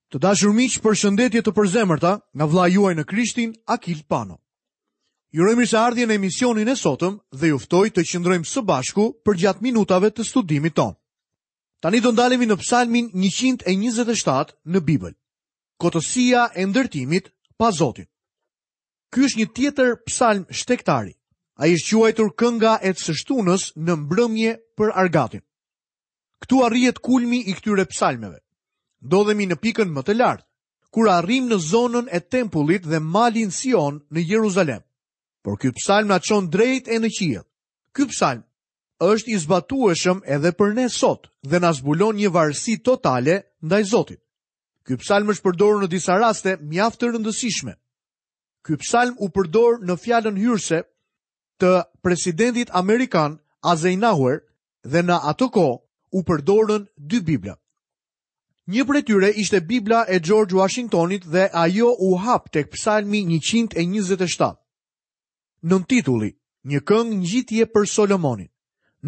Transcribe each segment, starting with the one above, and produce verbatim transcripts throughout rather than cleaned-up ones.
Të dashur miq, përshëndetje të përzemërta nga vëllai juaj në Krishtin, Akil Pano. Ju uroj mirëseardhje në emisionin e sotëm dhe ju ftoj të qëndrojmë së bashku përgjatë minutave të studimit tonë. Tani do ndalemi në Psalmin njëqind e njëzet e shtatë në Bibël. Kotësia e ndërtimit pa Zotin. Ky është një tjetër psalm shtegtari. Ai është quajtur kënga e së shtunës në mbrëmje për argatin. Këtu arrihet kulmi i këtyre psalmeve. Ndodhemi në pikën më të lartë, kur arrim në zonën e tempullit dhe malin Sion në Jeruzalem. Por ky psalm na çon drejt e në qiell. Ky psalm është i zbatueshëm edhe për ne sot dhe na zbulon një varësi totale ndaj Zotit. Ky psalm është përdorur në disa raste mjaft të rëndësishme. Ky psalm u përdor në fjalën hyrëse të presidentit amerikan Eisenhower dhe në atë kohë u përdorën dy Bibla. Një prej tyre ishte Bibla e George Washingtonit dhe ajo u hap tek Psalmi njëqind e njëzet e shtatë. Nën titulli, një këngë ngjitje për Solomonin,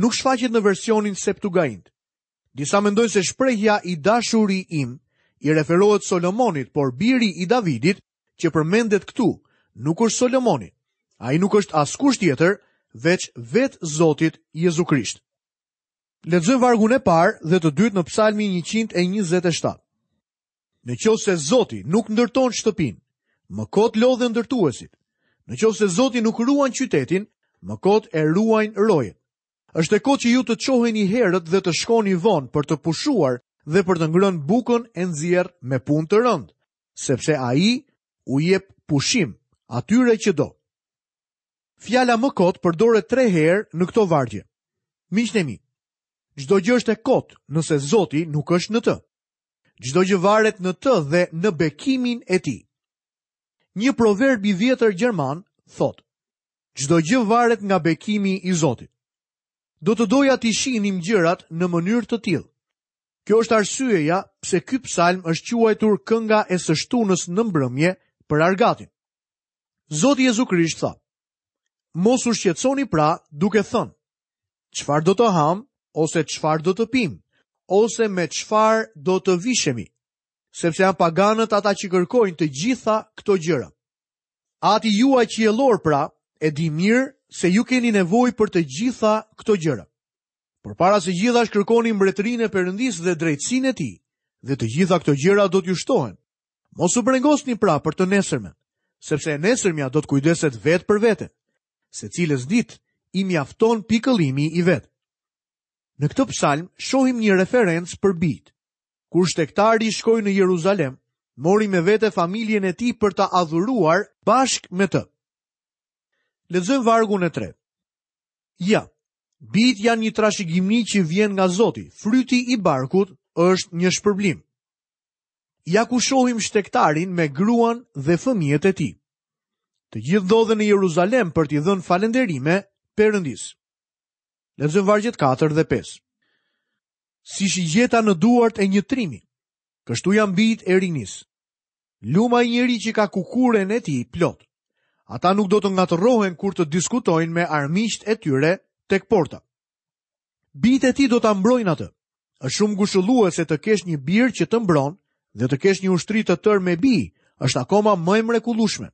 nuk shfaqet në versionin Septuagint. Disa mendojnë se shprehja i dashuri im i referohet Solomonit, por biri i Davidit që përmendet këtu nuk është Solomoni. Ai nuk është askush tjetër veç vetë Zotit Jezu Krisht. Lexojmë vargun e parë dhe të dytë në Psalmin njëqind e njëzet e shtatë. Në qoftë se Zoti nuk ndërton shtëpinë, më kot lodhen ndërtuesit. Në qoftë se Zoti nuk ruan qytetin, më kot e ruajnë rojet. Është e kotë që ju të çoheni herët dhe të shkoni vonë për të pushuar dhe për të ngrënë bukën e nxjerr me punë të rëndë, sepse ai u jep pushim atyre që do. Fjala më kot përdoret tre herë në këto vargje. Miqtë e mi, çdo gjë është e kot nëse Zoti nuk është në të. Çdo gjë varet në të dhe në bekimin e tij. Një proverb i vjetër gjerman thotë: çdo gjë varet nga bekimi i Zotit. Do të doja t'i shihnim gjërat në mënyrë të tillë. Kjo është arsyeja pse ky psalm është quajtur kënga e së shtunës në mbrëmje për argatin. Zoti Jezu Krisht tha: Mos u shqetësoni pra duke thënë, çfarë do të ham ose çfarë do të pim, ose me çfarë do të vishemi, sepse janë paganët ata që kërkojnë të gjitha këto gjëra. Ati juaj qiellor pra e di mirë se ju keni nevojë për të gjitha këto gjëra. Por para së gjithash kërkoni mbretërinë e Perëndisë dhe drejtësinë e tij, dhe të gjitha këto gjëra do t'ju shtohen. Mos u brengosni pra për të nesërmen, sepse e nesërmja do të kujdeset vetë për vete. Secilës ditë i mjafton pikëllimi i vet. Në këtë psalm shohim një referencë për bijt. Kur shtegtari shkoi në Jeruzalem, mori me vete familjen e tij për ta adhuruar bashkë me të. Lexojmë vargun e tretë. Ja, bijt janë një trashëgimi që vjen nga Zoti, fryti i barkut është një shpërblim. Ja ku shohim shtegtarin me gruan dhe fëmijët e tij. Të gjithë ndodhen në Jeruzalem për t'i dhënë falënderime Perëndisë. Lexojmë vargjet katër dhe pesë. Si shigjeta në duart e një trimi, kështu janë bijt e rinisë. Luma i njeri që ka kukuren e tij plot. Ata nuk do të ngatërrohen kur të diskutojnë me armiqtë e tyre tek porta. Bijt e tij do ta mbrojnë atë. Është shumë ngushëlluese të kesh një bir që të mbron dhe të kesh një ushtri të tërë me bij, është akoma më e mrekullueshme.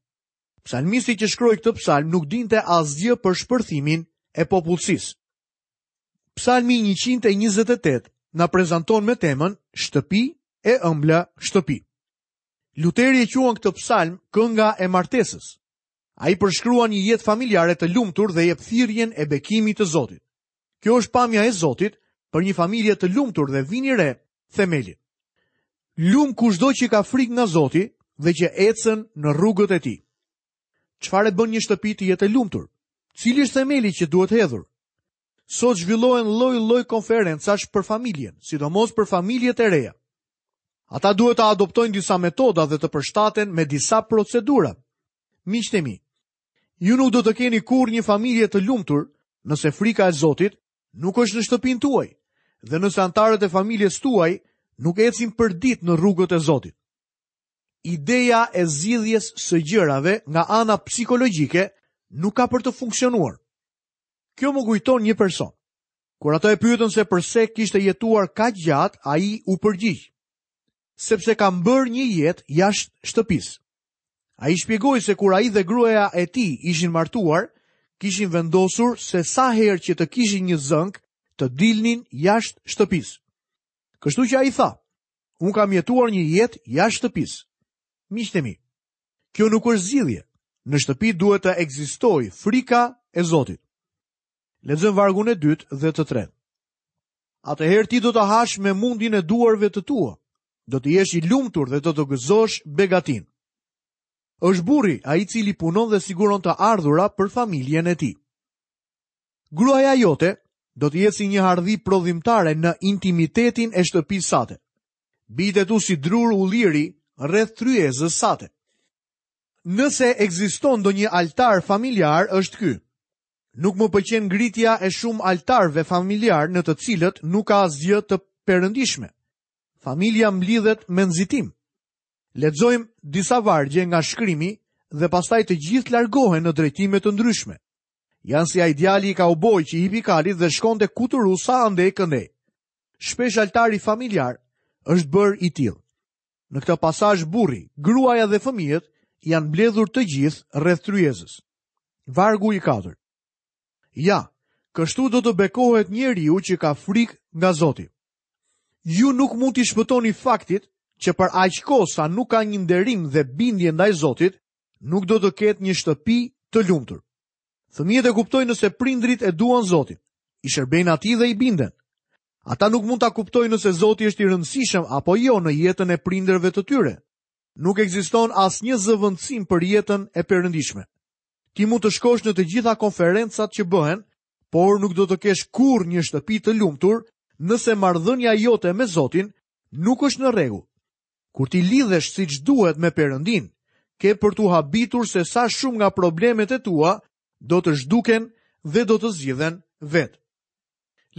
Psalmisti që shkroi këtë psalm nuk dinte asgjë për shpërthimin e popullsisë. Psalmi njëqind e njëzet e tetë na prezanton me temën shtëpi e ëmbla shtëpi. Luteri e quan këtë psalm kënga e martesës. Ai përshkruan një jetë familjare të lumtur dhe jep thirrjen e bekimit të Zotit. Kjo është pamja e Zotit për një familje të lumtur dhe vini re themelin. Lum kushdo që ka frikë nga Zoti dhe që ecën në rrugët e tij. Çfarë e bën një shtëpi të jetë e lumtur? Cili është themeli që duhet hedhur? Sot zhvillohen lloj-lloj konferencash për familjen, sidomos për familjet e reja. Ata duhet të adoptojnë disa metoda dhe të përshtaten me disa procedura. Miqtë e mi, ju nuk do të keni kurrë një familje të lumtur nëse frika e Zotit nuk është në shtëpinë tuaj dhe nëse anëtarët e familjes tuaj nuk ecin për ditë në rrugët e Zotit. Ideja e zgjidhjes së gjërave nga ana psikologjike nuk ka për të funksionuar. Kjo më kujton një person. Kur ata e pyetën se përse kishte jetuar kaq gjatë, ai u përgjigj: sepse kam bërë një jetë jashtë shtëpisë. Ai shpjegoi se kur ai dhe gruaja e tij ishin martuar, kishin vendosur se sa herë që të kishin një zënk, të dilnin jashtë shtëpisë. Kështu që ai tha, unë kam jetuar një jetë jashtë shtëpisë. Miqtë e mi, kjo nuk është zgjidhje. Në shtëpi duhet të ekzistojë frika e Zotit. Lexojmë vargun e dytë dhe të tretë. Atëherë ti do të hash me mundin e duarve të tua, do të jesh i lumtur dhe do të gëzosh begatin. Është burri ai i cili punon dhe siguron të ardhura për familjen e tij. Gruaja jote do të jetë si një hardhi prodhimtare në intimitetin e shtëpisë sate. Bijtë e tu si drur ulliri rreth tryezës sate. Nëse ekziston ndonjë altar familjar, është ky. Nuk më pëlqen ngritja e shumë altarëve familjar në të cilët nuk ka asgjë të perëndishme. Familja mblidhet me nxitim. Lexojmë disa vargje nga shkrimi dhe pastaj të gjithë largohen në drejtime të ndryshme. Janë si ai djali i kauboj që hipi kalit dhe shkonte kuturu sa andej këndej. Shpesh altari familjar është bërë i tillë. Në këtë pasazh burri, gruaja dhe fëmijët janë mbledhur të gjithë rreth tryezës. Vargu i katërt. Ja, kështu do të bekohet njeriu që ka frikë nga Zoti. Ju nuk mund t'i shpëtoni faktit që për aq kohë sa nuk ka një nderim dhe bindje ndaj Zotit, nuk do të ketë një shtëpi të lumtur. Fëmijët e kuptojnë nëse prindrit e duan Zotin, i shërbejnë atij dhe i binden. Ata nuk mund ta kuptojnë nëse Zoti është i rëndësishëm apo jo në jetën e prindërve të tyre. Nuk ekziston asnjë zëvendësim për jetën e perëndishme. Ti mund të shkosh në të gjitha konferencat që bëhen, por nuk do të kesh kurrë një shtëpi të lumtur nëse marrëdhënia jote me Zotin nuk është në rregull. Kur ti lidhesh siç duhet me Perëndin, ke për t'u habitur se sa shumë nga problemet e tua do të zhduken dhe do të zgjidhen vetë.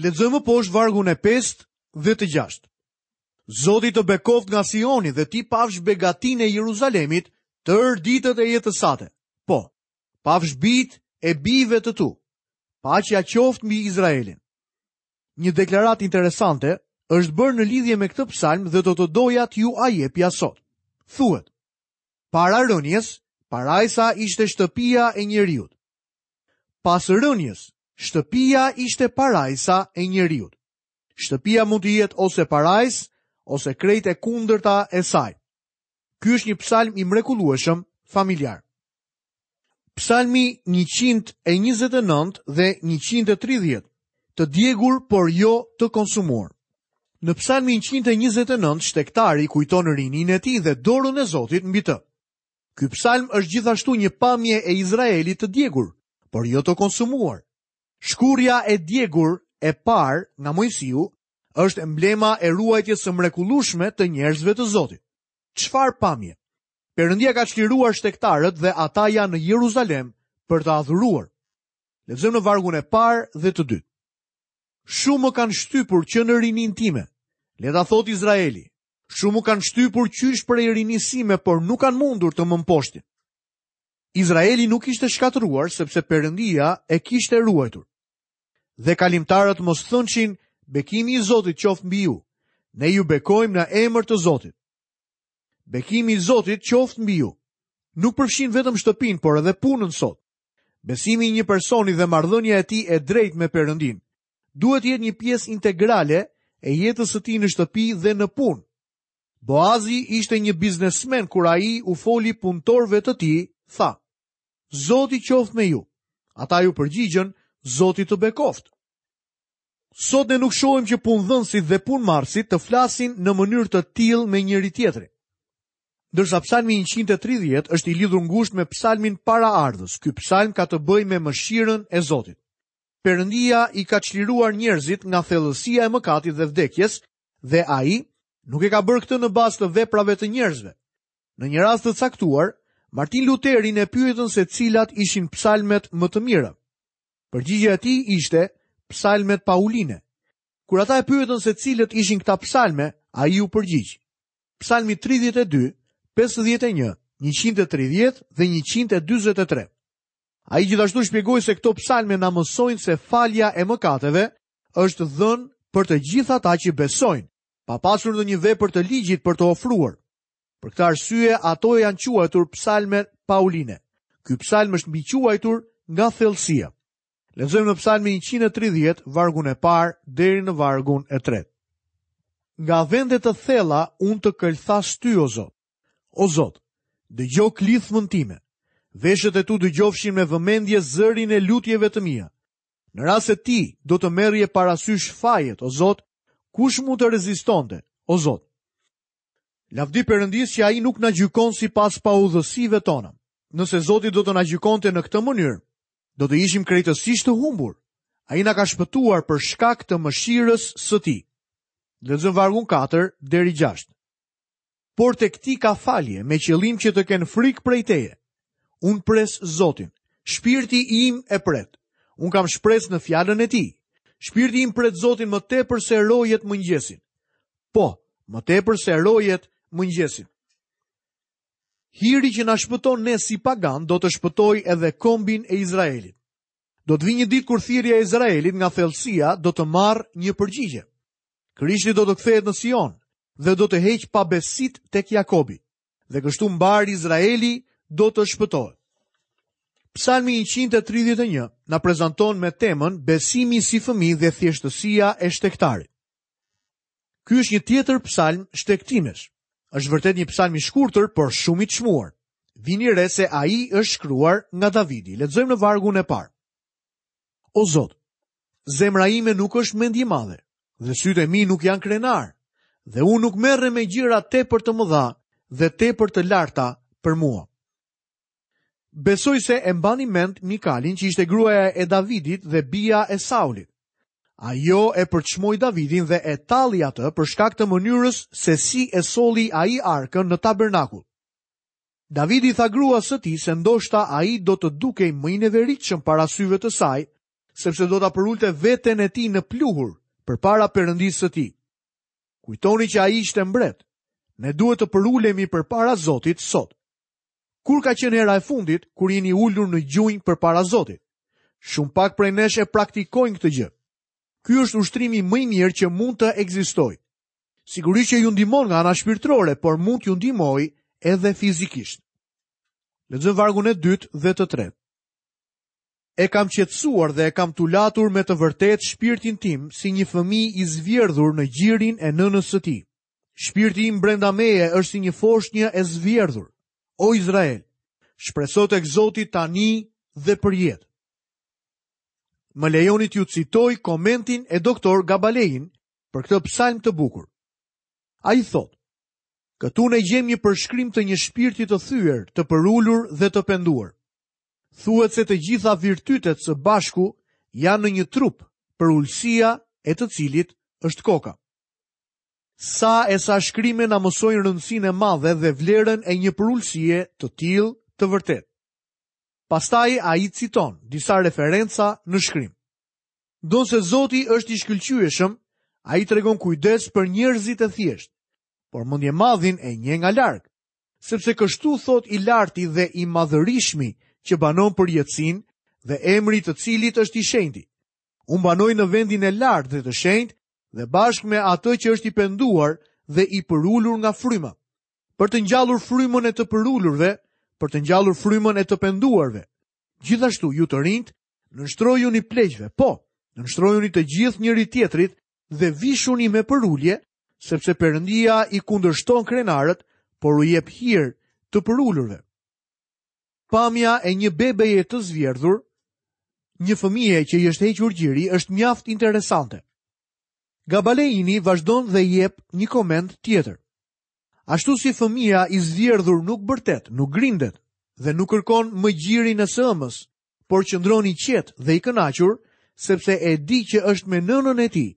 Lexojmë poshtë vargun e pestë dhe të gjashtë. Zoti të bekoft nga Sioni dhe ti pafsh begatinë e Jeruzalemit tërë ditët e jetës sate. Po, pafsh bijt e bijve të tu. Paqja qoftë mbi Izraelin. Një deklaratë interesante është bërë në lidhje me këtë psalm dhe do të doja t'ju a jepja sot. Thuhet, para rënies, parajsa ishte shtëpia e njeriut. Pas rënies, shtëpia ishte parajsa e njeriut. Shtëpia mund të jetë ose parajs, ose krejt e kundërta e saj. Ky është një psalm i mrekullueshëm familjar. Psalmi njëqind e njëzet e nëntë dhe njëqind e tridhjetë, të djegur por jo të konsumuar. Në psalmin njëqind e njëzet e nëntë shtektari kujton rininë e tij dhe dorën e Zotit mbi të. Ky psalm është gjithashtu një pamje e Izraelit të djegur, por jo të konsumuar. Shkurja e djegur e parë nga Moisiu është emblema e ruajtjes së mrekullueshme të njerëzve të Zotit. Çfarë pamje? Perëndia ka çliruar shtegtarët dhe ata janë në Jeruzalem për të adhuruar. Lexojmë në vargun e parë dhe të dytë. Shumë më kanë shtypur që në rinin time. Le ta thot Izraeli. Shumë më kanë shtypur qysh prej rinisë sime, por nuk kanë mundur të më mposhtin. Izraeli nuk ishte shkatëruar sepse Perëndia e kishte ruajtur. Dhe kalimtarët mos thënçin, bekimi i Zotit qoftë mbi ju. Ne ju bekojmë në emër të Zotit. Bekimi i Zotit qoftë mbi ju. Nuk përfshin vetëm shtëpinë, por edhe punën sot. Besimi i një personi dhe marrëdhënia e tij e drejtë me Perëndin duhet të jetë një pjesë integrale e jetës së tij në shtëpi dhe në punë. Boazi ishte një biznesmen kur ai u foli punëtorëve të tij, tha: Zoti qoftë me ju. Ata ju përgjigjën, Zoti të bekoftë. Sot ne nuk shohim që punëdhënësit dhe punëmarrësit të flasin në mënyrë të tillë me njëri tjetrin. Ndërsa psalmi njëqind e tridhjetë është i lidhur ngushtë me psalmin paraardhës, ky psalm ka të bëjë me mëshirën e Zotit. Perëndia i ka çliruar njerëzit nga thellësia e mëkatit dhe vdekjes dhe ai nuk e ka bërë këtë në bazë të veprave të njerëzve. Në një rast të caktuar, Martin Lutherin e pyetën se cilat ishin psalmet më të mira. Përgjigjja e tij ishte psalmet pauline. Kur ata e pyetën se cilët ishin këta psalme, ai u përgjigj: Psalmi tridhjetë e dy, pesëdhjetë e një, njëqind e tridhjetë dhe njëqind e dyzet e tre. Ai gjithashtu shpjegoi se këto psalme na mësojnë se falja e mëkateve është dhënë për të gjithë ata që besojnë pa pasur ndonjë vepër të ligjit për të ofruar. Për këtë arsye ato janë quajtur psalme pauline. Ky psalm është mbiquajtur nga thellësia. Lexojmë në Psalmin njëqind e tridhjetë, vargun e parë deri në vargun e tretë. Nga vende të thella unë të këlthas ty, o Zot. O Zot, dëgjo klithmën time. Veshët e tu dëgjofshin me vëmendje zërin e lutjeve të mia. Në rast se ti do të merrje parasysh fajet, o Zot, kush mund të rezistonte, o Zot? Lavdi Perëndis që ai nuk na gjykon sipas paudhësive tona. Nëse Zoti do të na gjykonte në këtë mënyrë, do të ishim krejtësisht të humbur. Ai na ka shpëtuar për shkak të mëshirës së tij. Lexojmë vargun katër deri gjashtë. Por tek ti ka falje me qëllim që të kenë frikë prej teje. Unë pres Zotin, shpirti im e pret. Unë kam shpresë në fjalën e tij. Shpirti im pret Zotin më tepër se rojet mëngjesin. Po, më tepër se rojet mëngjesin. Hiri që na shpëton ne si pagan do të shpëtojë edhe kombin e Izraelit. Do të vi një ditë kur thirrja e Izraelit nga thellësia do të marrë një përgjigje. Krishti do të kthehet në Sion dhe do të heqë pabesit tek Jakobi, dhe kështu mbar Izraeli do të shpëtohet. Psalmi njëqind e tridhjetë e një na prezanton me temën besimi si fëmijë dhe thjeshtësia e shtegtarit. Ky është një tjetër psalm shtegtimesh. Është vërtet një psalm i shkurtër, por shumë i çmuar. Vini re se ai është shkruar nga Davidi. Lexojmë në vargun e parë. O Zot, zemra ime nuk është mendjemadhe, dhe sytë e mi nuk janë krenar, dhe unë nuk merrem me gjëra tepër të mëdha dhe tepër të larta për mua. Besoj se e mbani mend Mikalin, që ishte gruaja e Davidit dhe bija e Saulit. Ajo e përçmoi Davidin dhe e talli atë për shkak të mënyrës se si e solli ai arkën në tabernakull. Davidi tha gruas së tij se ndoshta ai do të dukej më i neveritshëm para syve të saj, sepse do ta përulte veten e tij në pluhur përpara Perëndisë së tij. Kujtoni që ai ishte mbret. Ne duhet të përulemi përpara Zotit sot. Kur ka qenë hera e fundit kur jeni ulur në gjunjë përpara Zotit? Shumë pak prej nesh e praktikojnë këtë gjë. Ky është ushtrimi më i mirë që mund të ekzistojë. Sigurisht që ju ndihmon nga ana shpirtërore, por mund t'ju ndihmojë edhe fizikisht. Lexojmë vargun e dytë dhe të tretë. E kam qetësuar dhe e kam tulatur me të vërtetë shpirtin tim si një fëmijë i zvjerdhur në gjirin e nënës së tij. Shpirti im brenda meje është si një foshnjë e zvjerdhur. O Izrael, shpreso tek Zoti tani dhe për jetë. Më lejoni t'ju citoj komentin e doktor Gabalein për këtë psalm të bukur. Ai thotë: Këtu ne gjejmë një përshkrim të një shpirti të thyer, të përulur dhe të penduar. Thuhet se të gjitha virtytet së bashku janë në një trup, përulësia e të cilit është koka. Sa e sa shkrime na mësojnë rëndësinë e madhe dhe vlerën e një përulësie të tillë të vërtetë. Pastaj ai citon disa referenca në shkrim. Ndonse Zoti është i shkëlqyeshëm, ai tregon kujdes për njerëzit e thjeshtë, por mendjemadhin e njeh nga larg, sepse kështu thot i larti dhe i madhërishmi që banon për jetësinë dhe emri të cilit është i shenjti. Unë banoj në vendin e lartë dhe të shenjtë dhe bashkë me atë që është i penduar dhe i përulur nga fryma, për të ngjallur frymën e të përulurve, për të ngjallur frymën e të penduarve. Gjithashtu ju të rinjt, nënshtrojuni pleqve, po, nënshtrojuni të gjithë njëri tjetrit dhe vishuni me përulje, sepse Perëndia i kundërshton krenarët, por u jep hir të përulurve. Pamja e një bebeje të zvjerdhur, një fëmije që i është hequr gjiri, është mjaft interesante. Gabaleini vazhdon dhe jep një koment tjetër. Ashtu si fëmia i zvjerdhur nuk bërtet, nuk grindet dhe nuk kërkon më gjirin e së ëmës, por qëndron i qetë dhe i kënaqur, sepse e di që është me nënën e tij.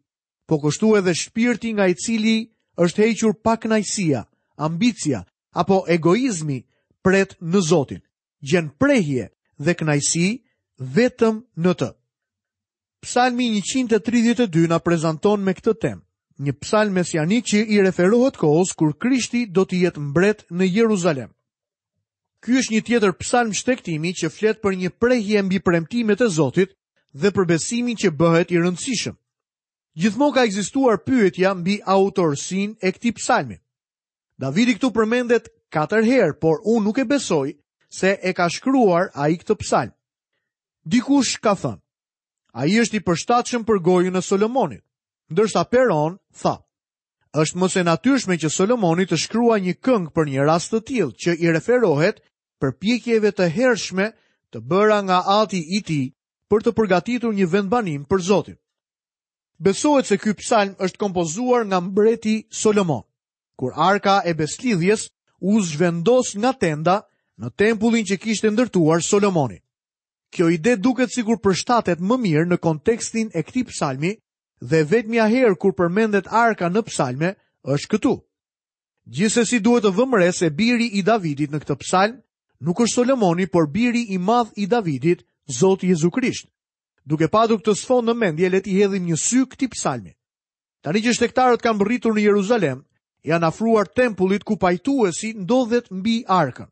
Po kështu edhe shpirti nga i cili është hequr pakënaqësia, ambicia apo egoizmi pret në Zotin, gjen prehje dhe kënaqësi vetëm në të. Psalmi njëqind e tridhjetë e dy na prezanton me këtë temë, një psalm mesianik që i referohet kohës kur Krishti do të jetë mbret në Jeruzalem. Ky është një tjetër psalm shtegtimi që flet për një prehje mbi premtimet e Zotit dhe për besimin që bëhet i rëndësishëm. Gjithmonë ka ekzistuar pyetja mbi autorësinë e këtij psalmi. Davidi këtu përmendet katër herë, por unë nuk e besoj se e ka shkruar ai këtë psalm. Dikush ka thënë, ai është i përshtatshëm për gojën e Solomonit, ndërsa Peron tha, është më se natyrshme që Solomoni të shkruajë një këngë për një rast të tillë që i referohet përpjekjeve të hershme të bëra nga ati i tij për të përgatitur një vendbanim për Zotin. Besohet se ky psalm është kompozuar nga mbreti Solomon, kur arka e beslidhjes u zhvendos nga tenda në tempullin që kishte ndërtuar Solomoni. Kjo ide duket sikur përshtatet më mirë në kontekstin e këtij psalmi dhe vetmja herë kur përmendet arka në psalme është këtu. Gjithsesi duhet të vëmë re se biri i Davidit në këtë psalm nuk është Solomoni, por biri i madh i Davidit, Zoti Jezu Krisht. Duke patur këtë sfond në mendje, le t'i hedhim një sy këtij psalmi. Tani që shtegtarët kanë mbërritur në Jeruzalem, janë afruar tempullit ku pajtuesi ndodhet mbi arkën,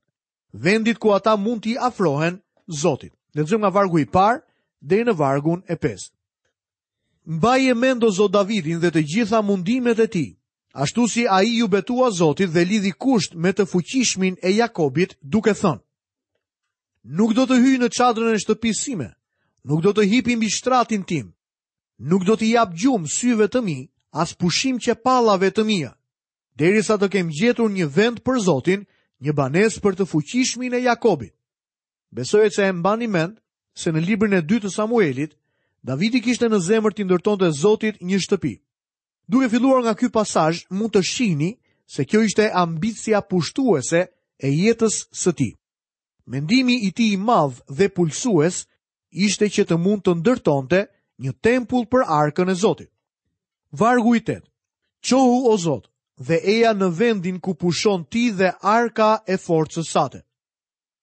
vendit ku ata mund t'i afrohen Zotit. Lexojmë nga vargu i parë deri në vargun e pestë. Mbaje mend o Zot Davidin dhe të gjitha mundimet e tij, ashtu si ai ju betua Zotit dhe lidhi kusht me të fuqishmin e Jakobit, duke thënë: Nuk do të hyj në çadrën e shtëpisë sime, nuk do të hipi mbi shtratin tim, nuk do t'i jap gjumë syve të mi, as pushim qepallave të mia, derisa të kem gjetur një vend për Zotin, një banesë për të fuqishmin e Jakobit. Besoj se e mbani mend se në librin e dytë të Samuelit, Davidi kishte në zemër t'i ndërtonte Zotit një shtëpi. Duke filluar nga ky pasazh, mund të shihni se kjo ishte ambicia pushtuese e jetës së tij. Mendimi i tij i madh dhe pulsues ishte që të mund të ndërtonte një tempull për arkën e Zotit. Vargu i tetë. Çohu o Zot dhe eja në vendin ku pushon ti dhe arka e forcës sate.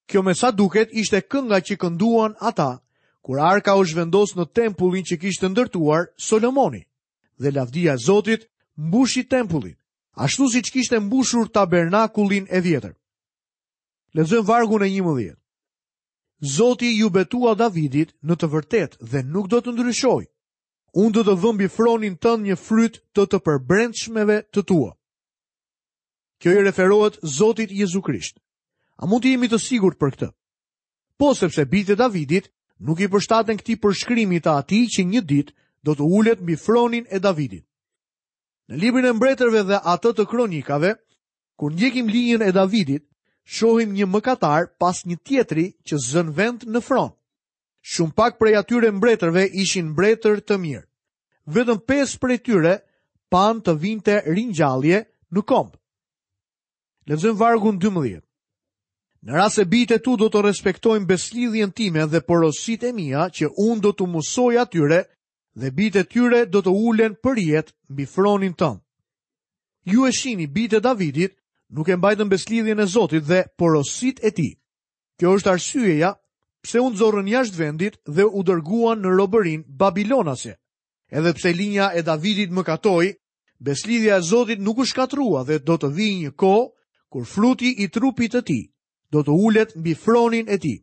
Kjo me sa duket ishte kënga që kënduan ata kur arka u zhvendos në tempullin që kishte ndërtuar Solomoni, dhe lavdia e Zotit mbushi tempullin, ashtu siç kishte mbushur tabernakullin e vjetër. Lexojmë vargun e njëmbëdhjetë. Zoti ju betua Davidit në të vërtetë dhe nuk do të ndryshojë. Unë do të vë mbi fronin tënd një fryt të të përbrendshmeve të tua. Kjo i referohet Zotit Jezu Krisht. A mund të jemi të sigurt për këtë? Po, sepse bijtë e Davidit nuk i përshtaten këtij përshkrimi të atij që një ditë do të ulet mbi fronin e Davidit. Në librin e mbretërve dhe atë të kronikave, kur ndjekim linjën e Davidit, shohim një mëkatar pas një tjetri që zën vend në fron. Shumë pak prej atyre mbretërve ishin mbretër të mirë. Vetëm pesë prej tyre pan të vinte ringjallje në komb. Lexojmë vargun dymbëdhjetë. Në rast se bijtë e tu do të respektojnë beslidhjen time dhe porositë e mia që unë do t'u mësoj atyre, dhe bijtë e tyre do të ulen për jetë mbi fronin tënd. Ju e shihni, bijtë e Davidit nuk e mbajtën beslidhjen e Zotit dhe porositë e tij. Kjo është arsyeja pse u nxorrën jashtë vendit dhe u dërguan në robërinë babilonase. Edhe pse linja e Davidit mëkatoi, beslidhja e Zotit nuk u shkatrua dhe do të vijë një kohë kur fruti i trupit të tij do të ulet mbi fronin e tij.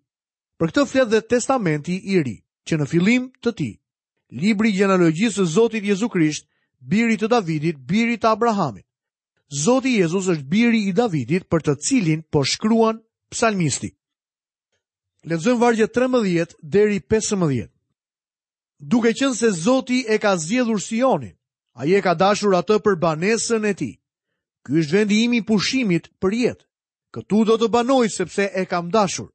Për këtë flet dhe Testamenti i Ri, që në fillim të tij, libri i gjenealogjisë së Zotit Jezu Krisht, birit të Davidit, birit të Abrahamit. Zoti Jezus është biri i Davidit për të cilin po shkruan psalmisti. Lexojmë vargjet trembëdhjetë deri pesëmbëdhjetë. Duke qenë se Zoti e ka zgjedhur Sionin, ai e ka dashur atë për banesën e tij. Ky është vendi im i pushimit për jetë. Këtu do të banoj sepse e kam dashur.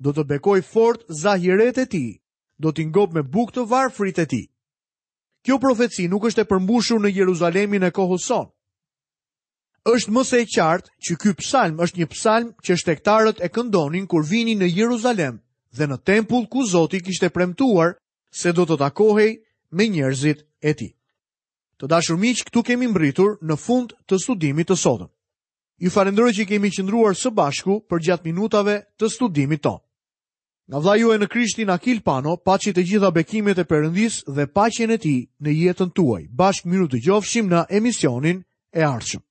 Do të bekoj fort zahiret e tij, do t'i ngop me bukë të varfrit e tij. Kjo profeci nuk është e përmbushur në Jeruzalemin e kohës sonë. Është më se e qartë që ky psalm është një psalm që shtegtarët e këndonin kur vinin në Jeruzalem dhe në tempull ku Zoti kishte premtuar se do të takohej me njerëzit e tij. Të dashur miq, këtu kemi mbërritur në fund të studimit të sotëm. Ju falenderoj që kemi qëndruar së bashku përgjatë minutave të studimit tonë. Nga vëllai juaj në Krishtin Akil Pano, paçi të gjitha bekimet e Perëndisë dhe paqen e tij në jetën tuaj. Bashkë mirë u dëgjofshim në emisionin e ardhshëm.